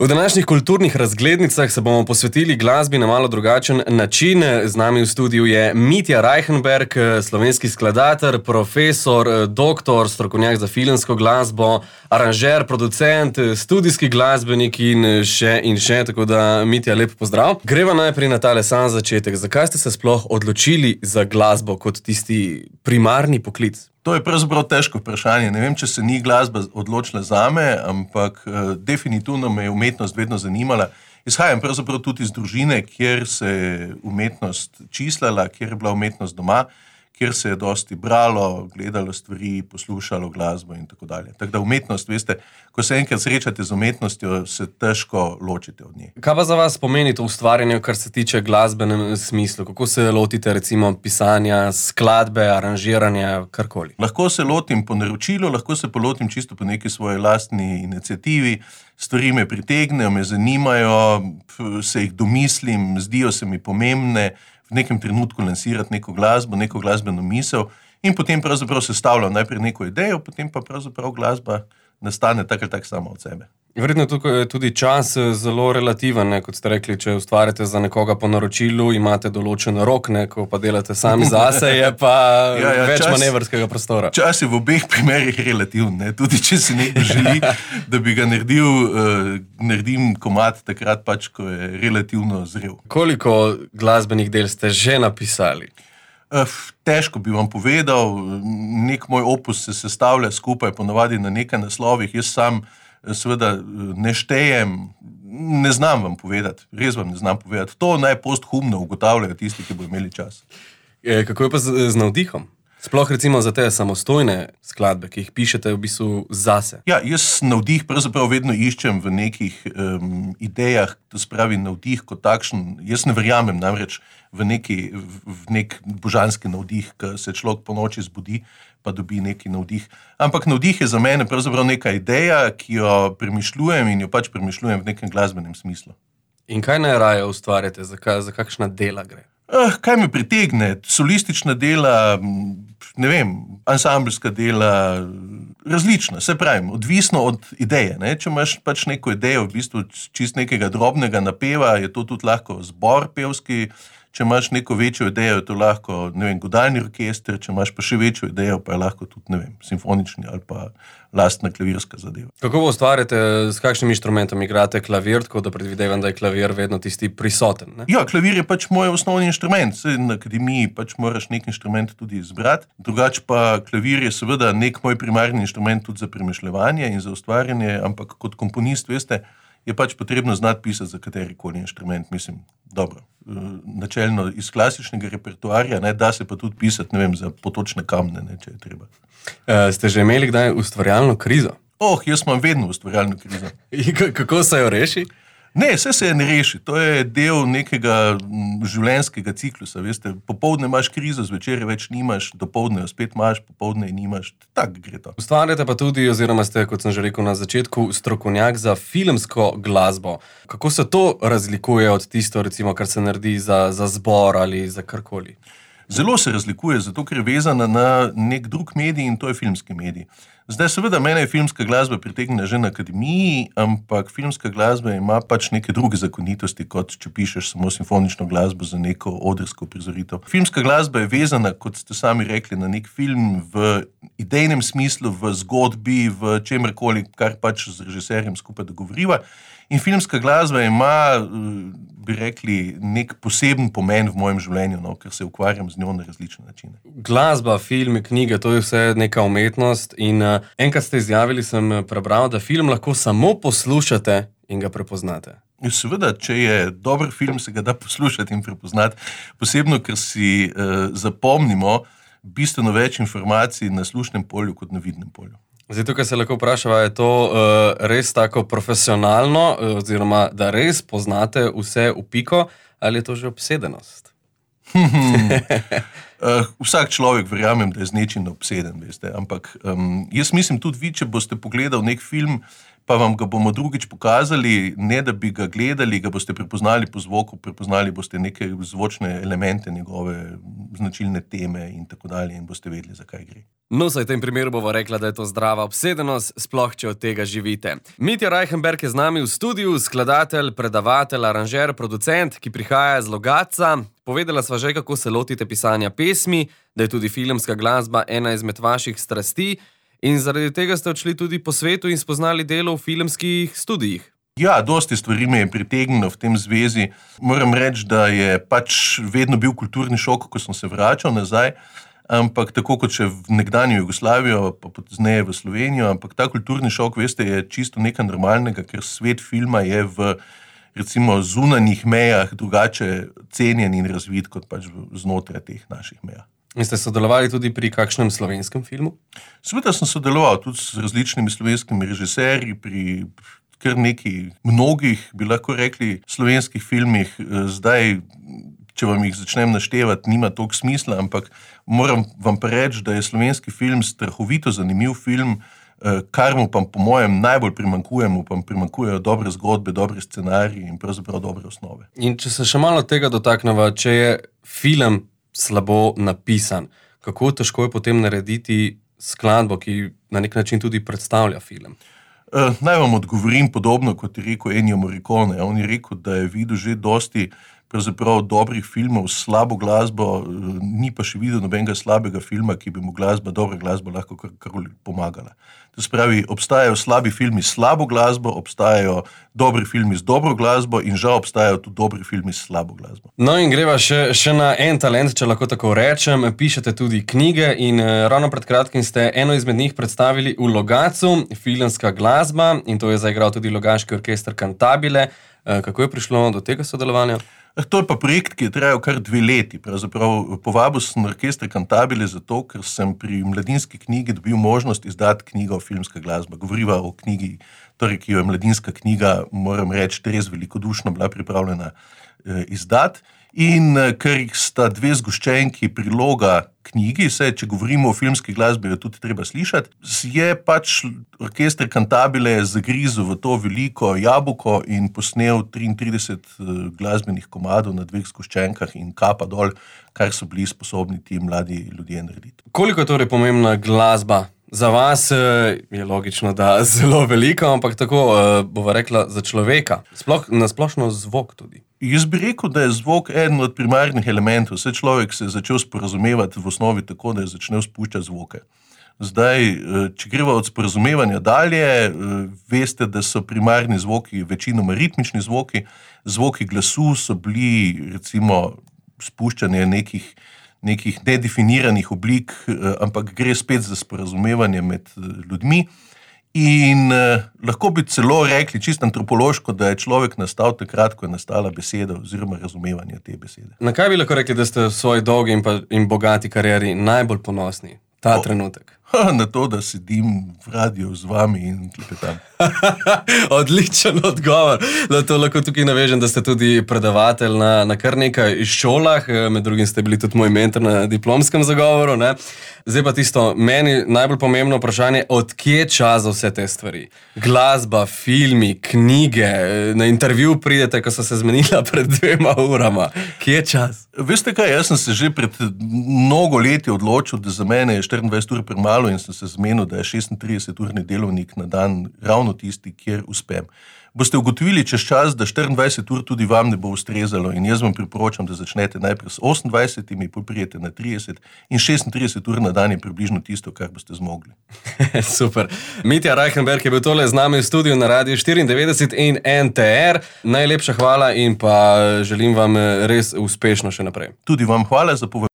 V današnjih kulturnih razglednicah se bomo posvetili glasbi na malo drugačen način. Z nami v studiu je Mitja Reichenberg, slovenski skladatelj, profesor, doktor, strokovnjak za filmsko glasbo, aranžer, producent, studijski glasbenik in še. Tako da, Mitja, lep pozdrav. Greva najprej na tale sam začetek. Zakaj ste se sploh odločili za glasbo kot tisti primarni poklic? To je pravzaprav težko vprašanje. Ne vem, če se ni glasba odločila zame, ampak definitivno me je umetnost vedno zanimala. Izhajam pravzaprav tudi iz družine, kjer se je umetnost čislala, kjer je bila umetnost doma, kjer se je dosti bralo, gledalo stvari, poslušalo glasbo in tako dalje. Tako da umetnost, veste, ko se enkrat srečate z umetnostjo, se težko ločite od nje. Kaj pa za vas pomeni to ustvarjanje, kar se tiče glasbenem smislu? Kako se lotite recimo pisanja, skladbe, aranžiranja, karkoli? Lahko se lotim po naročilu, lahko se pa lotim čisto po neki svoji lastni iniciativi. Stvari me pritegnejo, me zanimajo, se jih domislim, zdijo se mi pomembne, v nekem trenutku lansirati neko glasbo, neko glasbeno misel in potem pravzaprav sestavljam najprej neko idejo, potem pa pravzaprav glasba nastane tak ali tak sama od sebe. Verjetno tukaj je tudi čas zelo relativen, kot ste rekli, če ustvarjate za nekoga po naročilu, imate določen rok, ko pa delate sami zase, je pa več manevrskega prostora. Čas je v obeh primerih relativen, tudi če si nekdo želi, da bi ga naredim komad takrat pač, ko je relativno zrel. Koliko glasbenih del ste že napisali? Težko bi vam povedal, nek moj opus se sestavlja skupaj ponavadi na nekaj naslovih, jaz sam seveda ne štejem, ne znam vam povedati, res vam ne znam povedati. To naj posthumno ugotavljajo tisti, ki bo imeli čas. Kako je pa z navdihom? Sploh recimo za te samostojne skladbe, ki jih pišete v bistvu zase. Ja, jaz navdih pravzaprav vedno iščem v nekih idejah, to spravi navdih kot takšen. Jaz ne verjamem namreč v nek božanski navdih, ko se človek po noči zbudi, pa dobi neki navdih. Ampak navdih je za mene pravzaprav neka ideja, ki jo premišljujem in jo pač premišljujem v nekem glasbenem smislu. In kaj najraje ustvarjate? Za kakšna dela gre? Kaj me pritegne? Solistična dela, ne vem, ansambelska dela, različna, se pravim, odvisno od ideje. Če imaš pač neko idejo, v bistvu čist nekega drobnega napeva, je to tudi lahko zbor pevski. Če imaš neko večjo idejo, je to lahko, ne vem, godalni orkester, če imaš pa še večjo idejo, pa je lahko tudi, ne vem, simfonični ali pa lastna klavirska zadeva. Kako ustvarjate, s kakšnim inštrumentom igrate klavir, tako da predvidevam, da je klavir vedno tisti prisoten, ne? Ja, klavir je pač moj osnovni inštrument. Na akademiji pač moraš nek inštrument tudi izbrati. Drugače pa klavir je seveda nek moj primarni inštrument tudi za premišljevanje in za ustvarjanje, ampak kot komponist, veste, je pač potrebno znati pisati za katerikoli inštrument, mislim, dobro. Načelno iz klasičnega repertoarja, da se pa tudi pisati, ne vem, za potočne kamne, če je treba. Ste že imeli kdaj ustvarjalno krizo? Jaz imam vedno ustvarjalno krizo. Kako se jo reši? Ne, vse se je ne reši. To je del nekega življenjskega ciklusa, veste. Popoldne imaš krizo, zvečer več nimaš, dopoldne jo spet imaš, popoldne nimaš. Tako gre to. Ustvarjate pa tudi, oziroma ste, kot sem že rekel na začetku, strokovnjak za filmsko glasbo. Kako se to razlikuje od tisto, recimo, kar se naredi za zbor ali za karkoli? Zelo se razlikuje, zato ker je vezana na nek drug medij in to je filmski medij. Zdaj, seveda, mene je filmska glasba pritegnila že na akademiji, ampak filmska glasba ima pač neke druge zakonitosti, kot če pišeš samo simfonično glasbo za neko odrsko prizoritev. Filmska glasba je vezana, kot ste sami rekli, na nek film v idejnem smislu, v zgodbi, v čemerkoli, kar pač z režiserjem skupaj dogovoriva. In filmska glasba ima, bi rekli, nek poseben pomen v mojem življenju, ker se ukvarjam z njo na različne načine. Glasba, filmi, knjige, to je vse neka umetnost in enkrat ste izjavili, sem prebral, da film lahko samo poslušate in ga prepoznate. Seveda, če je dober film, se ga da poslušati in prepoznati, posebno, ker si zapomnimo bistveno več informacij na slušnem polju kot na vidnem polju. Zdaj, tukaj se lahko vprašava, je to res tako profesionalno, oziroma da res poznate vse v piko, ali je to že obsedenost? Vsak človek verjamem, da je z nečim obseden, veste, ampak jaz mislim tudi vi, če boste pogledali nek film pa vam ga bomo drugič pokazali, ne da bi ga gledali, ga boste prepoznali po zvoku, prepoznali boste neke zvočne elemente, njegove značilne teme in tako dalje in boste vedeli, zakaj gre. No, saj v tem primeru bova rekla, da je to zdrava obsedenost, sploh če od tega živite. Mitja Reichenberg je z nami v studiu, skladatelj, predavatelj, aranžer, producent, ki prihaja iz Logatca. Povedala sva že, kako se lotite pisanja pesmi, da je tudi filmska glasba ena izmed vaših strasti in zaradi tega ste odšli tudi po svetu in spoznali delo v filmskih studijih. Ja, dosti stvari me je pritegnilo v tem zvezi. Moram reči, da je pač vedno bil kulturni šok, ko sem se vračal nazaj, ampak tako kot še v nekdanjo Jugoslavijo, pa pozneje v Slovenijo, ampak ta kulturni šok, veste, je čisto nekaj normalnega, ker svet filma je v recimo zunanjih mejah drugače cenjen in razvit kot pač znotraj teh naših meja. In ste sodelovali tudi pri kakšnem slovenskem filmu? Seveda sem sodeloval tudi s različnimi slovenskimi režiserji pri kar nekaj mnogih, bi lahko rekli, slovenskih filmih. Zdaj, če vam jih začnem naštevati, nima toliko smisla, ampak moram vam pa reči, da je slovenski film strahovito zanimiv film, kar mu pa po mojem najbolj primanjkujejo dobre zgodbe, dobre scenariji in pravzaprav dobre osnove. In če se še malo tega dotakneva, če je film slabo napisan, kako težko je potem narediti skladbo, ki na nek način tudi predstavlja film? Naj vam odgovorim podobno, kot je rekel Ennio Morricone. On je rekel, da je videl že dosti pravzaprav dobrih filmov s slabo glasbo, ni pa še videl nobenega slabega filma, ki bi mu dobra glasba lahko karkoli pomagala. To se pravi, obstajajo slabi filmi s slabo glasbo, obstajajo dobri filmi z dobro glasbo in žal obstajajo tudi dobri filmi s slabo glasbo. No in greva še na en talent, če lahko tako rečem. Pišete tudi knjige in ravno pred kratkim ste eno izmed njih predstavili v Logatcu, filmska glasba, in to je zaigral tudi Logaški orkester Cantabile. Kako je prišlo do tega sodelovanja? To je pa projekt, ki je trajal kar 2 leti. Pravzaprav povabil sem orkester Cantabile zato, ker sem pri Mladinski knjigi dobil možnost izdati knjigo Filmska glasba. Govoriva o knjigi, torej, ki jo je Mladinska knjiga, moram reči, res velikodušno bila pripravljena izdati. In ker sta 2 zgoščenki priloga knjigi, saj če govorimo o filmski glasbi, jo tudi treba slišati, je pač orkester Cantabile zagrizel v to veliko jabolko in posnel 33 glasbenih komadov na 2 zgoščenkah in kapa dol, kar so bili sposobni ti mladi ljudje narediti. Koliko je torej pomembna glasba? Za vas je logično, da zelo veliko, ampak tako bova rekla za človeka. Nasplošno zvok tudi. Jaz bi rekel, da je zvok eden od primarnih elementov. Vse človek se je začel sporazumevati v osnovi tako, da je začel spuščati zvoke. Zdaj, če greva od sporazumevanja dalje, veste, da so primarni zvoki večinoma ritmični zvoki. Zvoki glasu so bili recimo spuščanje nekih nedefiniranih oblik, ampak gre spet za sporazumevanje med ljudmi. In lahko bi celo rekli, čisto antropološko, da je človek nastal takrat, ko je nastala beseda oziroma razumevanje te besede. Na kaj bi lahko rekli, da ste v svoji dolgi in bogati karieri najbolj ponosni ta trenutek? Na to, da sedim v radiju z vami in klepetam. Odličen odgovor. To lahko tukaj navežem, da ste tudi predavatelj na kar nekaj šolah, med drugim ste bili tudi moj mentor na diplomskem zagovoru, ne? Zdaj pa tisto, meni najbolj pomembno vprašanje, od kje čas za vse te stvari? Glasba, filmi, knjige, na intervju pridete, ko so se zmenila pred 2 urama. Kje je čas? Veste kaj, jaz sem se že pred mnogo leti odločil, da za mene je 24 ur premalo in sem se zmenil, da je 36-urni delovnik na dan ravno tisti, kjer uspem. Boste ugotovili čez čas, da 24 ur tudi vam ne bo ustrezalo in jaz vam priporočam, da začnete najprej s 28, potem prijete na 30 in 36 ur na dan je približno tisto, kar boste zmogli. Super. Mitja Reichenberg je bil tole z nami v studiu na Radiu 94 in NTR. Najlepša hvala in pa želim vam res uspešno še naprej. Tudi vam hvala za povabilo.